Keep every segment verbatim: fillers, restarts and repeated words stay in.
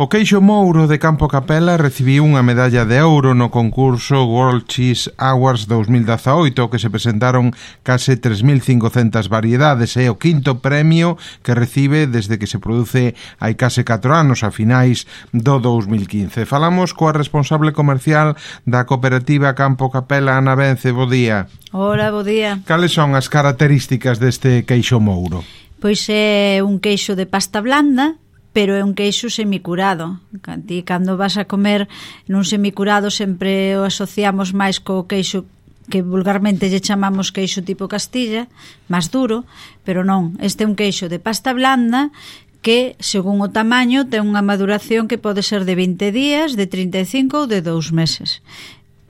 O queixo mouro de Campo Capela recibiu unha medalla de ouro no concurso World Cheese Awards dos mil dezaoito, que se presentaron case tres mil cincocentas variedades. É o quinto premio que recibe desde que se produce hai case catro anos, a finais do dous mil quince. Falamos coa responsable comercial da cooperativa Campo Capela, Ana Vence. Bo día. Hola, bo día. Cales son as características deste queixo mouro? Pois é un queixo de pasta blanda, pero é un queixo semicurado. Ti, cando vas a comer nun semicurado, sempre o asociamos máis co queixo que vulgarmente lle chamamos queixo tipo Castilla, máis duro, pero non. Este é un queixo de pasta blanda que, según o tamaño, ten unha maduración que pode ser de vinte días, de trinta e cinco ou de dous meses.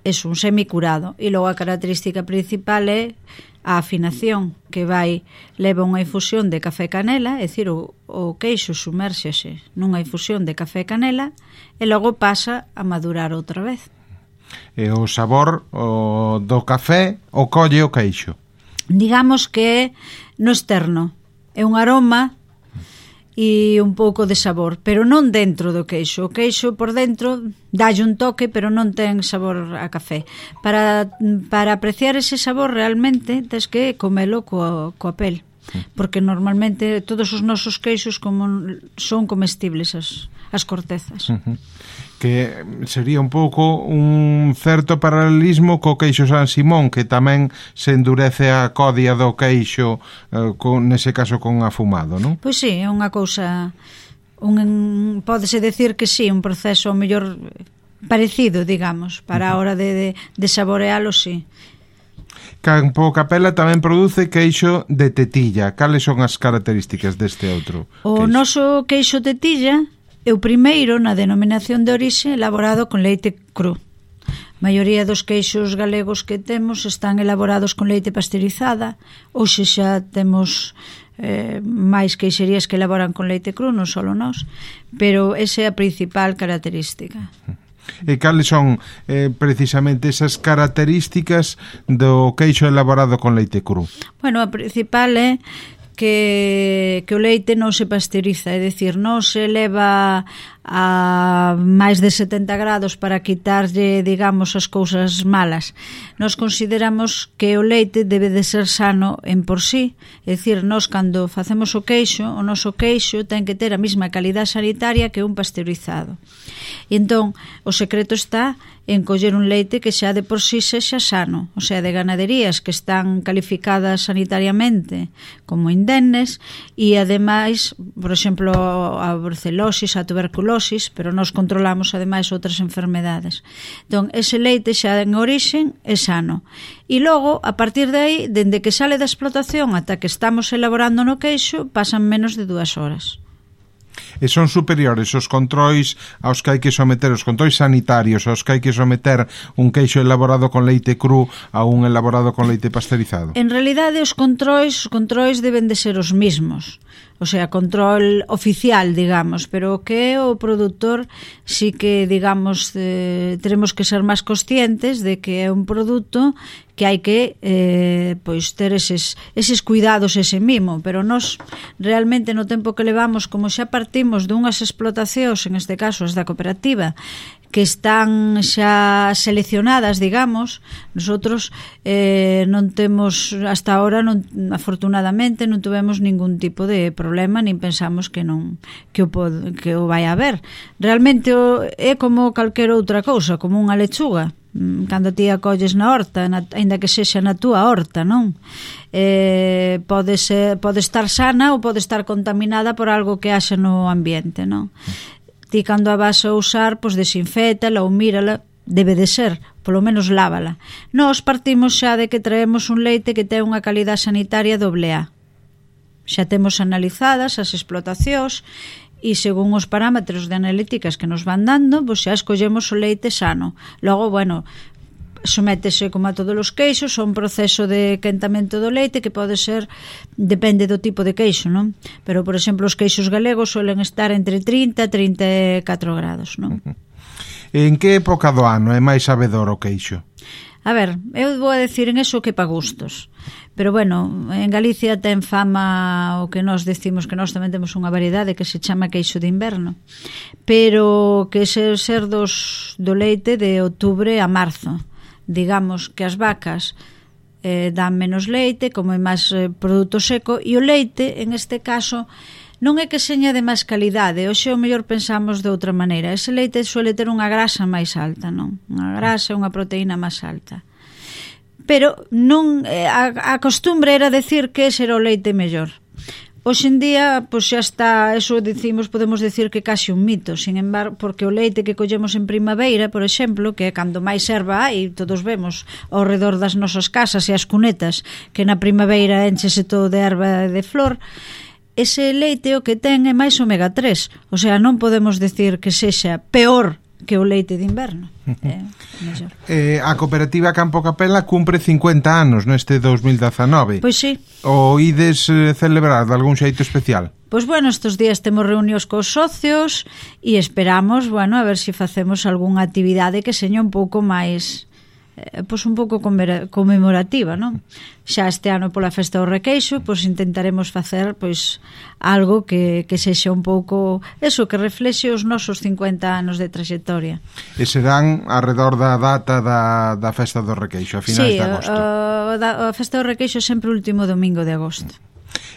É un semicurado. E logo a característica principal é a afinación, que vai leva unha infusión de café e canela, é dicir, o, o queixo sumérxese nunha infusión de café e canela e logo pasa a madurar outra vez. E o sabor o, do café o colle o queixo? Digamos que é no externo, é un aroma e un pouco de sabor, pero non dentro do queixo. O queixo por dentro dálle un toque, pero non ten sabor a café. Para, para apreciar ese sabor realmente tens que comelo coa, coa pel, porque normalmente todos os nosos queixos como son comestibles as, as cortezas. Uh-huh. Que sería un pouco un certo paralelismo co queixo San Simón, que tamén se endurece a codia do queixo, eh, con, nese caso con afumado, non? Pois sí, é unha cousa, un, pódese decir que sí, un proceso mellor parecido, digamos, para a hora de, de, de saborealo, sí. Campo Capela tamén produce queixo de tetilla. Cales son as características deste outro queixo? O noso queixo tetilla é o primeiro na denominación de orixe elaborado con leite cru. A maioría dos queixos galegos que temos están elaborados con leite pasteurizada. Hoxe xa temos eh, máis queixerías que elaboran con leite cru, non só nós, pero esa é a principal característica. E cales son eh, precisamente esas características do queixo elaborado con leite cru? Bueno, a principal é que, que o leite non se pasteuriza, é dicir, non se leva a máis de setenta grados para quitarlle, digamos, as cousas malas. Nos consideramos que o leite debe de ser sano en por sí, é dicir, nos cando facemos o queixo, o noso queixo ten que ter a mesma calidade sanitaria que un pasteurizado. E entón, o secreto está en coller un leite que xa de por sí sexa sano, o sea, de ganaderías que están calificadas sanitariamente como indemnes e, ademais, por exemplo, a brucelosis, a tuberculosis, pero nós controlamos, ademais, outras enfermedades. Entón, ese leite xa en orixen é sano. E logo, a partir de aí, dende que sale da explotación ata que estamos elaborando no queixo, pasan menos de dúas horas. E son superiores os controis aos que hai que someter, os controis sanitarios aos que hai que someter un queixo elaborado con leite cru a un elaborado con leite pasteurizado? En realidade, os controis, os controis deben de ser os mismos, o sea, control oficial, digamos, pero o que é o produtor sí que, digamos, eh, teremos que ser máis conscientes de que é un produto que hai que eh, pois ter eses, eses cuidados, ese mimo, pero nós realmente no tempo que levamos, como xa partimos dunhas explotacións, en este caso as da cooperativa, que están xa seleccionadas, digamos, nosotros eh, non temos, hasta ahora, non, afortunadamente, non tuvemos ningún tipo de problema, nin pensamos que non que o, pod, que o vai haber. Realmente o, é como calquera outra cousa, como unha lechuga. Cando ti a colles na horta, na, ainda que sexa na túa horta, non? Eh, pode, ser, pode estar sana ou pode estar contaminada por algo que haxa no ambiente, non? Ti cando a vas a usar, pois desinfétala ou mírala, debe de ser, polo menos lávala. Nós partimos xa de que traemos un leite que ten unha calidade sanitaria doble A. Xa temos analizadas as explotacións e según os parámetros de analíticas que nos van dando, pois xa escollemos o leite sano. Logo, bueno, sométese como a todos os queixos a un proceso de quentamento do leite que pode ser, depende do tipo de queixo, non? Pero, por exemplo, os queixos galegos suelen estar entre trinta e trinta e catro grados, non? En que época do ano é máis sabedor o queixo? A ver, eu vou a decir en eso que pa gustos. Pero bueno, en Galicia ten fama o que nós decimos que nós tamén temos unha variedade que se chama queixo de inverno. Pero que se ser dos, do leite de outubro a marzo. Digamos que as vacas eh, dan menos leite, como é máis eh, produto seco, e o leite, en este caso, non é que seña de máis calidade. Hoxe o mellor pensamos de outra maneira. Ese leite suele ter unha grasa máis alta, non? Unha grasa e unha proteína máis alta. Pero non a, a costumbre era decir que ese era o leite mellor. Hoxe en día, pois xa está, eso decimos, podemos decir que case un mito, sin embargo, porque o leite que collemos en primavera, por exemplo, que é cando máis erva hai, todos vemos ao redor das nosas casas e as cunetas, que na primavera enchese todo de erva e de flor, ese leite o que ten é máis omega tres, o sea, non podemos decir que sexa peor que o leite de inverno. É mellor. Eh, a cooperativa Campo Capela cumpre cincuenta anos neste dos mil dezanove. Pois sí. O ides eh, celebrar de algún xeito especial? Pois bueno, estes días temos reunións cos socios e esperamos, bueno, a ver se si facemos algunha actividade que seña un pouco máis eh, pois un pouco conmemorativa, non? Xa este ano pola festa do Requeixo, pois intentaremos facer pois algo que, que sexa un pouco eso, que reflexe os nosos cincuenta anos de traxectoria. E serán arredor da data da, da festa do Requeixo, a finais sí, de agosto. Sí, a, a festa do Requeixo sempre o último domingo de agosto.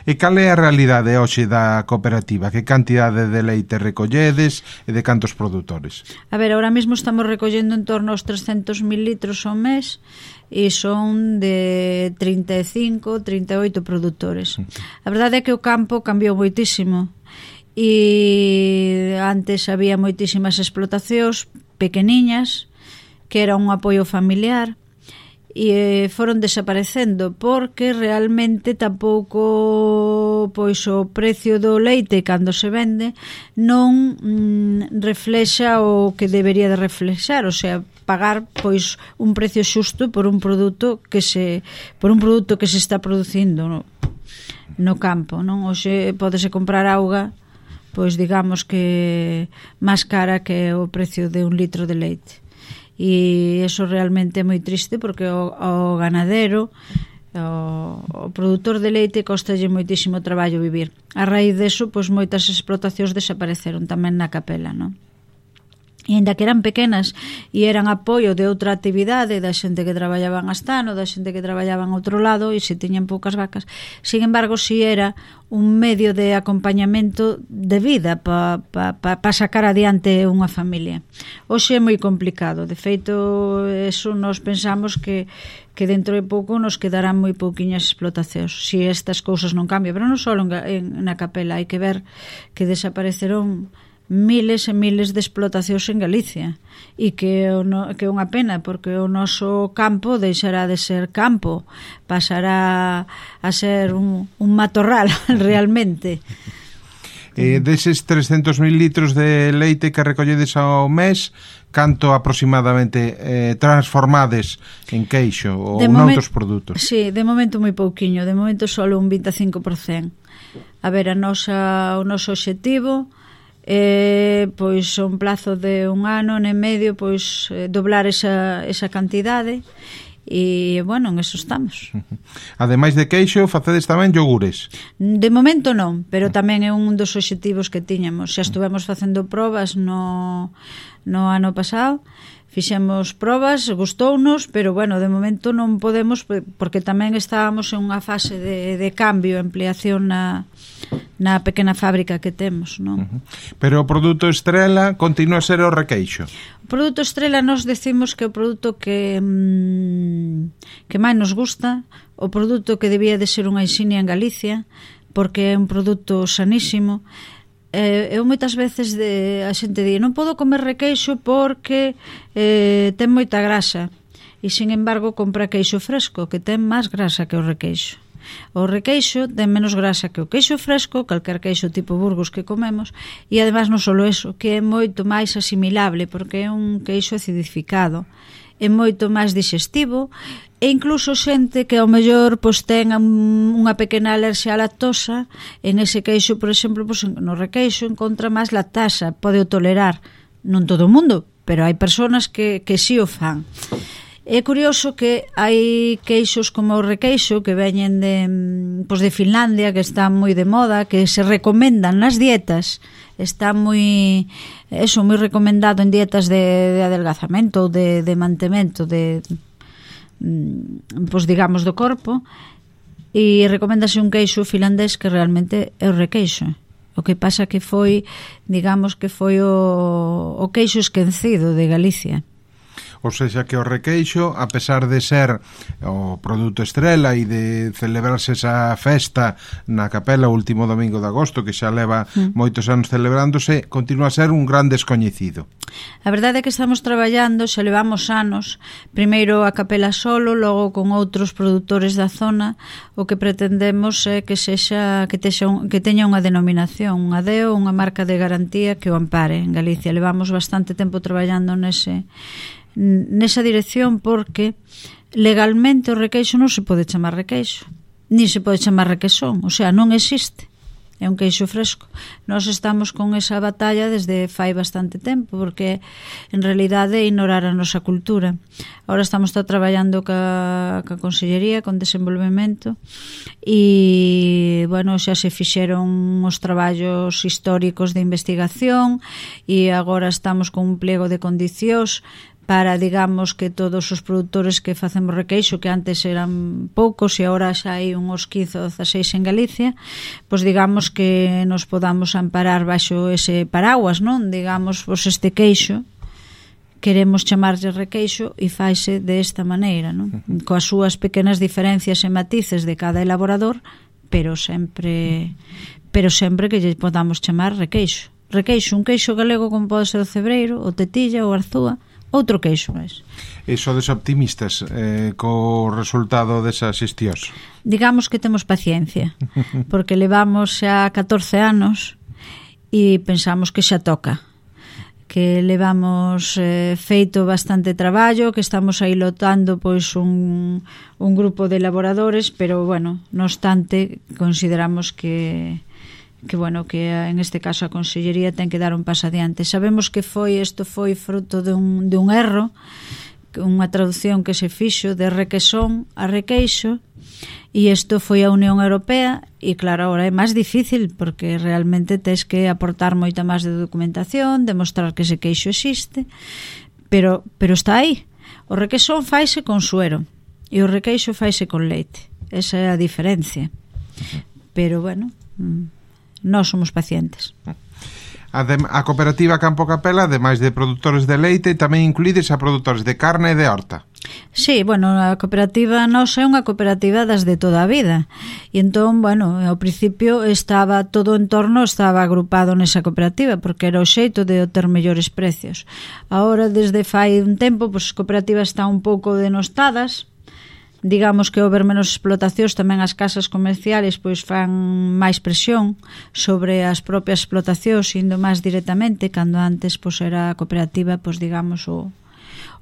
E cal é a realidade hoxe da cooperativa? Que cantidade de leite recolledes e de cantos produtores? A ver, ahora mesmo estamos recollendo en torno aos trescentos mil litros ao mes e son de trinta e cinco, trinta e oito produtores. A verdade é que o campo cambiou moitísimo e antes había moitísimas explotacións pequeniñas que era un apoio familiar e foron desaparecendo porque realmente tampouco pois o precio do leite cando se vende non mm, reflexa o que debería de reflexar, o sea, pagar pois un precio xusto por un produto que se por un produto que se está producindo no, no campo, non? Hoxe pódese comprar auga pois digamos que máis cara que o precio de un litro de leite. E eso realmente é moi triste porque o, o ganadero, o, o produtor de leite costalle moitísimo traballo vivir. A raíz deso, pois moitas explotacións desapareceron tamén na capela, non? E ainda que eran pequenas e eran apoio de outra actividade da xente que traballaba en Astano, da xente que traballaba en outro lado e se tiñan poucas vacas, sin embargo si era un medio de acompañamento de vida para pa, pa, pa sacar adiante unha familia. Hoxe é moi complicado, de feito eso nos pensamos que que dentro de pouco nos quedarán moi pouquiñas explotacións se si estas cousas non cambian, pero non só en, en, na capela, hai que ver que desapareceron miles e miles de explotacións en Galicia e que é que unha pena porque o noso campo deixará de ser campo, pasará a ser un, un matorral realmente. Eh, deses trescentos mil litros de leite que recolledes ao mes, canto aproximadamente eh, transformades en queixo ou noutros produtos? Sí, de momento moi pouquiño, de momento só un vinte e cinco por cento. A ver, a nosa, o noso obxectivo Eh, pois un plazo de un ano e medio pois eh, doblar esa, esa cantidade e bueno, en eso estamos. Ademais de queixo, facedes tamén yogures? De momento non, pero tamén é un dos obxectivos que tiñamos. Xa estuvemos facendo probas no, no ano pasado, fixemos probas, gustounos, pero bueno, de momento non podemos porque tamén estábamos en unha fase de, de cambio, ampliación na na pequena fábrica que temos, non? Uh-huh. Pero o produto estrela continúa a ser o requeixo. O produto estrela nós decimos que o produto que mmm, que máis nos gusta, o produto que debía de ser unha insignia en Galicia, porque é un produto sanísimo. Eh, eu moitas veces de, a xente di non podo comer requeixo porque eh, ten moita grasa e sin embargo compra queixo fresco que ten máis grasa que o requeixo. O requeixo ten menos grasa que o queixo fresco, calquer queixo tipo Burgos que comemos, e ademais non só eso, que é moito máis asimilable porque é un queixo acidificado, é moito máis digestivo e incluso xente que ao mellor pois, ten unha pequena alerxia á lactosa, en ese queixo, por exemplo, pois, no requeixo encontra máis lactasa, pode o tolerar, non todo o mundo, pero hai persoas que, que si o fan. É curioso que hai queixos como o requeixo que veñen de, pois de Finlandia, que están moi de moda, que se recomendan nas dietas, está moi eso, moi recomendado en dietas de, de adelgazamento ou de, de mantemento de, pois digamos, do corpo, e recoméndase un queixo finlandés que realmente é o requeixo. O que pasa que foi, digamos que foi o, o queixo esquecido de Galicia. Ou seja, que o requeixo, a pesar de ser o produto estrela e de celebrarse esa festa na capela o último domingo de agosto, que xa leva mm. moitos anos celebrándose, continúa a ser un gran descoñecido. A verdade é que estamos traballando, xa levamos anos, primeiro a capela solo, logo con outros produtores da zona. O que pretendemos é que sexa que, texa un, que teña unha denominación, unha D E O, unha marca de garantía que o ampare en Galicia. Levamos bastante tempo traballando nese nesa dirección, porque legalmente o requeixo non se pode chamar requeixo, ni se pode chamar requesón, o sea, non existe, é un queixo fresco. Nós estamos con esa batalla desde fai bastante tempo, porque en realidade é ignorar a nosa cultura. Ahora estamos está traballando ca, ca Consellería, con desenvolvemento, e bueno, xa se fixeron os traballos históricos de investigación, e agora estamos con un pliego de condicións para, digamos, que todos os produtores que facemos requeixo, que antes eran poucos e agora xa hai uns quince ou dezasseis en Galicia, pois digamos que nos podamos amparar baixo ese paraguas, non? Digamos, pois este queixo queremos chamarlle requeixo e faise desta maneira, non? Coas súas pequenas diferencias e matices de cada elaborador, pero sempre pero sempre que lle podamos chamar requeixo. Requeixo, un queixo galego como pode ser o cebreiro, o tetilla, o arzúa, outro queixo máis. E sodes optimistas eh, co resultado desas xestións? Digamos que temos paciencia, porque levamos xa catorce anos e pensamos que xa toca, que levamos eh, feito bastante traballo, que estamos aí lotando pois un, un grupo de elaboradores, pero bueno, no obstante consideramos que que bueno, que en este caso a Consellería ten que dar un paso adiante. Sabemos que foi isto foi fruto de un, de un erro, unha traducción que se fixo de requesón a requeixo, e isto foi a Unión Europea, e claro, agora é máis difícil porque realmente tes que aportar moita máis de documentación, demostrar que ese queixo existe, pero, pero está aí. O requesón faise con suero e o requeixo faise con leite. Esa é a diferencia. Pero bueno, nós somos pacientes. Adem, a cooperativa Campo Capela, ademais de produtores de leite, tamén incluídes a produtores de carne e de horta. Sí, bueno, a cooperativa nosa é unha cooperativa das de toda a vida. E entón, bueno, ao principio estaba todo o entorno estaba agrupado nesa cooperativa, porque era o xeito de ter mellores precios. Ahora, desde fai un tempo, pois as cooperativas están un pouco denostadas. Digamos que ao ver menos explotacións, tamén as casas comerciales pois fan máis presión sobre as propias explotacións, indo máis directamente, cando antes pois era a cooperativa, pois digamos o,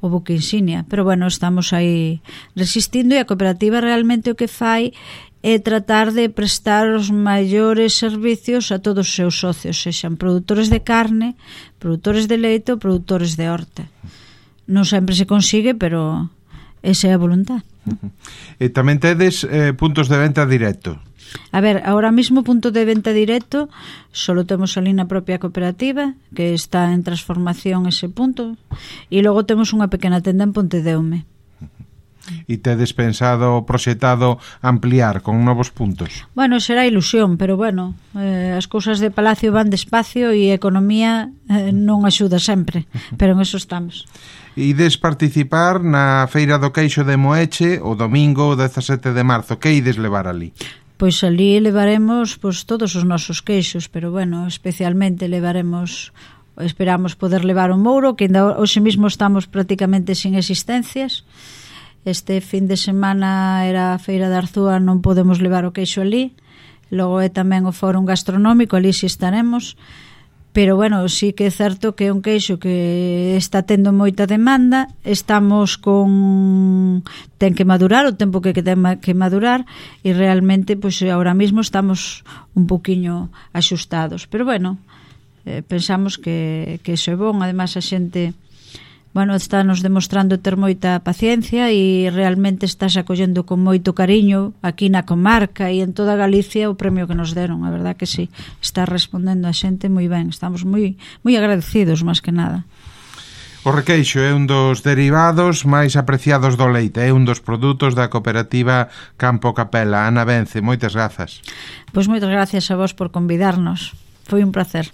o buque insignia. Pero bueno, estamos aí resistindo, e a cooperativa realmente o que fai é tratar de prestar os maiores servicios a todos os seus socios, sexan produtores de carne, produtores de leite ou produtores de horta. Non sempre se consigue, pero esa é a voluntad. E tamén tedes eh, puntos de venta directo? A ver, ahora mismo punto de venta directo solo temos ali na propia cooperativa, que está en transformación ese punto, e logo temos unha pequena tenda en Pontedeume. E tedes pensado, proxetado ampliar con novos puntos? Bueno, será ilusión, pero bueno, eh, as cousas de Palacio van despacio e a economía eh, non axuda sempre, pero en eso estamos. Ides participar na Feira do Queixo de Moeche o domingo dezasete de marzo. Que ides levar ali? Pois ali levaremos pois, todos os nosos queixos, pero bueno, especialmente levaremos, esperamos poder levar o mouro, que ainda hoxe mesmo estamos prácticamente sin existencias. Este fin de semana era a Feira de Arzúa, non podemos levar o queixo ali. Logo é tamén o fórum gastronómico, ali si estaremos. Pero bueno, sí que é certo que é un queixo que está tendo moita demanda. Estamos con... ten que madurar o tempo que ten que madurar, e realmente, pois agora mesmo estamos un poquinho axustados. Pero bueno, eh, pensamos que, que iso é bon. Ademais, a xente bueno, está nos demostrando ter moita paciencia e realmente estás acollendo con moito cariño aquí na comarca e en toda Galicia o premio que nos deron, a verdad que sí, está respondendo a xente moi ben, estamos moi moi agradecidos máis que nada. O requeixo é un dos derivados máis apreciados do leite, é un dos produtos da cooperativa Campo Capela. Ana Vence, moitas grazas. Pois moitas gracias a vos por convidarnos, foi un placer.